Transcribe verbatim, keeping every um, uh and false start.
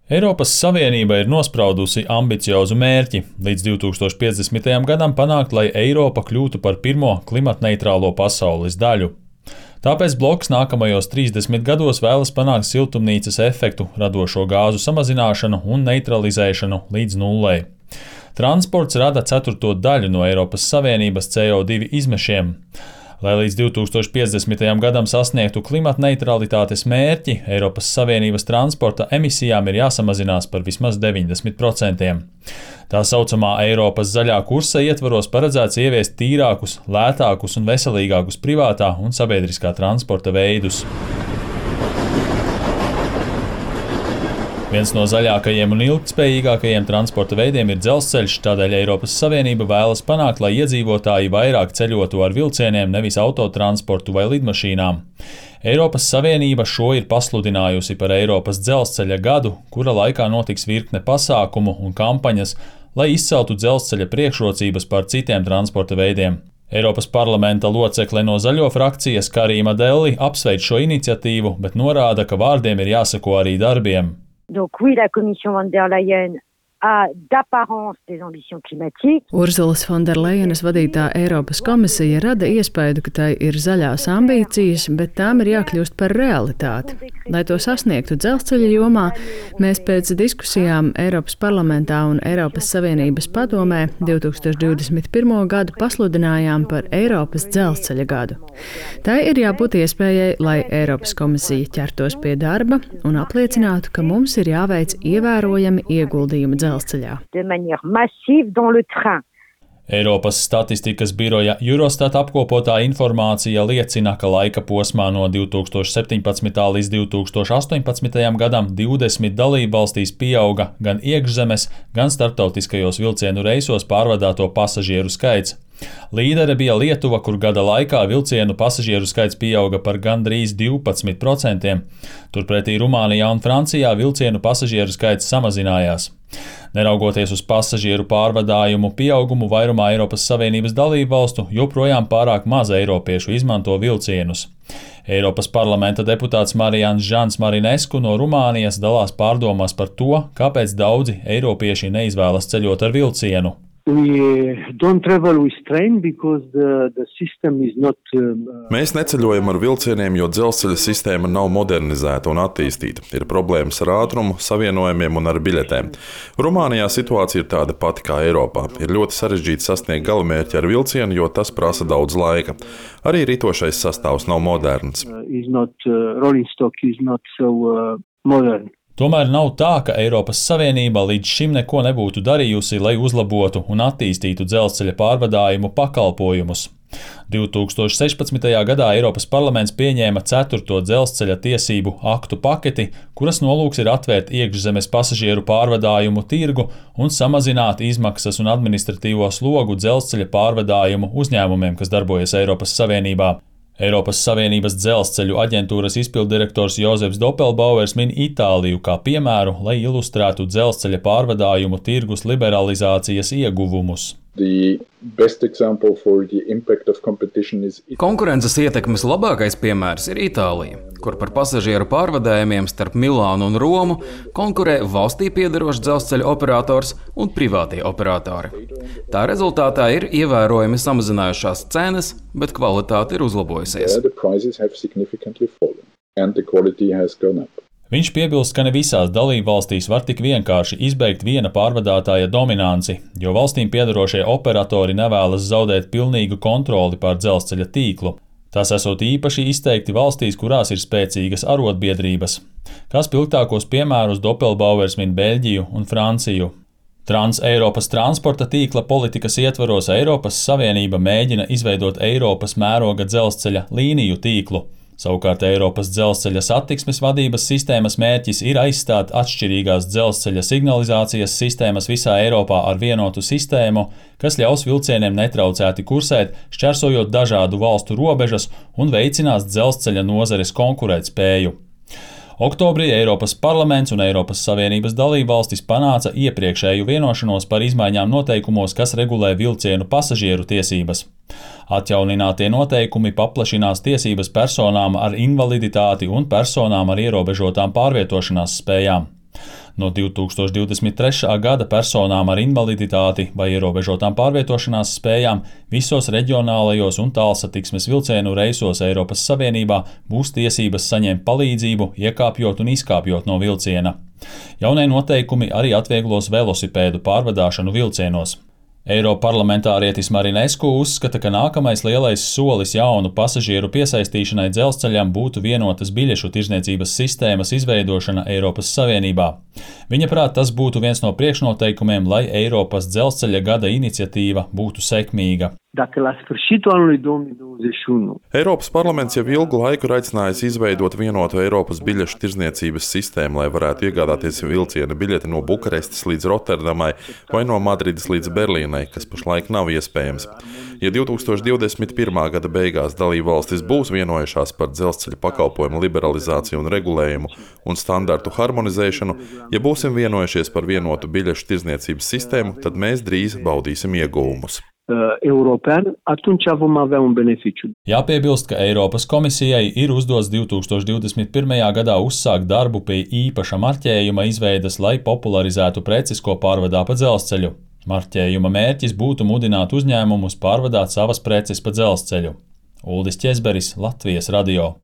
Eiropas Savienība ir nospraudusi ambiciozu mērķi līdz divi tūkstoši piecdesmitajam gadam panākt, lai Eiropa kļūtu par pirmo klimatneitrālo pasaules daļu. Tāpēc bloks nākamajos trīsdesmit gados vēlas panākt siltumnīcas efektu radošo gāzu samazināšanu un neutralizēšanu līdz nullei. Transports rada ceturto daļu no Eiropas Savienības C O divi izmešiem. Lai līdz divi tūkstoši piecdesmitajam gadam sasniegtu klimatneitralitātes mērķi, Eiropas Savienības transporta emisijām ir jāsamazinās par vismaz deviņdesmit procentiem. Tā saucamā Eiropas zaļā kursa ietvaros paredzēts ieviest tīrākus, lētākus un veselīgākus privātā un sabiedriskā transporta veidus. Viens no zaļākajiem un ilgtspējīgākajiem transporta veidiem ir dzelzceļš, tādēļ Eiropas Savienība vēlas panākt, lai iedzīvotāji vairāk ceļotu ar vilcieniem, nevis autotransportu vai lidmašīnām. Eiropas Savienība šo ir pasludinājusi par Eiropas dzelzceļa gadu, kura laikā notiks virkne pasākumu un kampaņas, lai izceltu dzelzceļa priekšrocības pār citiem transporta veidiem. Eiropas parlamenta locekle no zaļo frakcijas Karima Delli apsveic šo iniciatīvu, bet norāda, ka vārdiem ir jāseko arī darbiem. Donc oui, la Commission von der Leyen a d'apparence des ambitions climatiques. Urzulas Fonderlejenas vadītā Eiropas komisija rada iespēju, ka tai ir zaļās ambīcijas, bet tām ir jākļūst par realitāti. Lai to sasniegtu dzelzceļa jomā, mēs pēc diskusijām Eiropas parlamentā un Eiropas Savienības padomē divi tūkstoši divdesmit pirmo gadu pasludinājām par Eiropas dzelzceļa gadu. Tai ir jābūt iespējai, lai Eiropas komisija ķertos pie darba un apliecinātu, ka mums ir jāveic ievērojami ieguldījumi dzelzceļā. De manière massive dans le train. Eiropas statistikas biroja Eurostat apkopotā informācija liecina, ka laika posmā no divi tūkstoši septiņpadsmitā līdz divi tūkstoši astoņpadsmitajam gadam divdesmit dalībvalstīs pieauga gan iekšzemes, gan starptautiskajos vilcienu reisos pārvadāto pasažieru skaits. Līdere bija Lietuva, kur gada laikā vilcienu pasažieru skaits pieauga par gandrīz divpadsmit procentiem. Turpretī Rumānijā un Francijā vilcienu pasažieru skaits samazinājās. Neraugoties uz pasažieru pārvadājumu pieaugumu vairumā Eiropas Savienības dalībvalstu, joprojām pārāk maz eiropiešu izmanto vilcienus. Eiropas parlamenta deputāts Marijans Žans Marinesku no Rumānijas dalās pārdomās par to, kāpēc daudzi eiropieši neizvēlas ceļot ar vilcienu. We don't travel with train because the, the system is not. Um, Mēs neceļojam ar vilcieniem, jo dzelzceļa sistēma nav modernizēta un attīstīta. Ir problēmas ar ātrumu, savienojumiem un ar biļetēm. Rumānijā situācija ir tāda pati kā Eiropā. Ir ļoti sarežģīti sasniegt galamērķi ar vilcienu, jo tas prasa daudz laika. Arī ritošais sastāvs nav moderns. Uh, is not, uh, rolling stock is not so uh, modern. Tomēr nav tā, ka Eiropas Savienība līdz šim neko nebūtu darījusi, lai uzlabotu un attīstītu dzelzceļa pārvadājumu pakalpojumus. divi tūkstoši sešpadsmitajā gadā Eiropas parlaments pieņēma ceturto dzelzceļa tiesību aktu paketi, kuras nolūks ir atvērt iekšzemes pasažieru pārvadājumu tirgu un samazināt izmaksas un administratīvo slogu dzelzceļa pārvadājumu uzņēmumiem, kas darbojas Eiropas Savienībā. Eiropas Savienības dzelzceļu aģentūras izpilddirektors Jozefs Doppelbauers min Itāliju kā piemēru, lai ilustrētu dzelzceļa pārvadājumu tirgus liberalizācijas ieguvumus. Konkurences ietekmes labākais piemērs ir Itālija, kur par pasažieru pārvadājumiem starp Milānu un Romu konkurē valstī piederošs dzelzceļa operators un privātie operatori. Tā rezultātā ir ievērojami samazinājušās cenas, bet kvalitāte ir uzlabojusies. Viņš piebilst, ka ne visās dalībvalstīs var tik vienkārši izbeigt viena pārvadātāja dominanci, jo valstīm piederošie operatori nevēlas zaudēt pilnīgu kontroli pār dzelzceļa tīklu. Tas esot īpaši izteikti valstīs, kurās ir spēcīgas arotbiedrības. Kā spilgtākos piemērus Doppelbauers min Beļģiju un Franciju. Trans-Eiropas transporta tīkla politikas ietvaros Eiropas Savienība mēģina izveidot Eiropas mēroga dzelzceļa līniju tīklu. Savukārt Eiropas dzelzceļa satiksmes vadības sistēmas mērķis ir aizstāt atšķirīgās dzelzceļa signalizācijas sistēmas visā Eiropā ar vienotu sistēmu, kas ļaus vilcieniem netraucēti kursēt, šķērsojot dažādu valstu robežas un veicinās dzelzceļa nozares konkurētspēju. Oktobrī Eiropas parlaments un Eiropas Savienības dalībvalstis panāca iepriekšēju vienošanos par izmaiņām noteikumos, kas regulē vilcienu pasažieru tiesības. Atjauninātie noteikumi paplašinās tiesības personām ar invaliditāti un personām ar ierobežotām pārvietošanās spējām. No divi tūkstoši divdesmit trešā gada personām ar invaliditāti vai ierobežotām pārvietošanās spējām visos reģionālajos un tālsatiksmes vilcienu reisos Eiropas Savienībā būs tiesības saņemt palīdzību, iekāpjot un izkāpjot no vilciena. Jaunie noteikumi arī atvieglos velosipēdu pārvadāšanu vilcienos. Eiroparlamentārietis Marinescu uzskata, ka nākamais lielais solis jaunu pasažieru piesaistīšanai dzelzceļam būtu vienotas biļešu tirdzniecības sistēmas izveidošana Eiropas Savienībā. Viņa prāt, tas būtu viens no priekšnoteikumiem, lai Eiropas dzelzceļa gada iniciatīva būtu sekmīga. Eiropas parlaments jau ilgu laiku ir aicinājis izveidot vienotu Eiropas biļešu tirdzniecības sistēmu, lai varētu iegādāties vilciena biļeti no Bukarestes līdz Rotterdamai vai no Madrides līdz Berlīnai, kas pašlaik nav iespējams. Ja divi tūkstoši divdesmit pirmā gada beigās dalībvalstis būs vienojušās par dzelzceļa pakalpojumu liberalizāciju un regulējumu un standartu harmonizēšanu, ja būsim vienojušies par vienotu biļešu tirdzniecības sistēmu, tad mēs drīz baudīsim ieguvumus. European, atunci vom avea un beneficiu. Jāpiebilst, ka Eiropas komisijai ir uzdots divi tūkstoši divdesmit pirmajā gadā uzsākt darbu pie īpaša marķējuma izveides, lai popularizētu preces, ko pārvadā pa dzelzceļu. Marķējuma mērķis būtu mudināt uzņēmumus pārvadāt savas preces pa dzelzceļu. Uldis Ķezberis, Latvijas radio.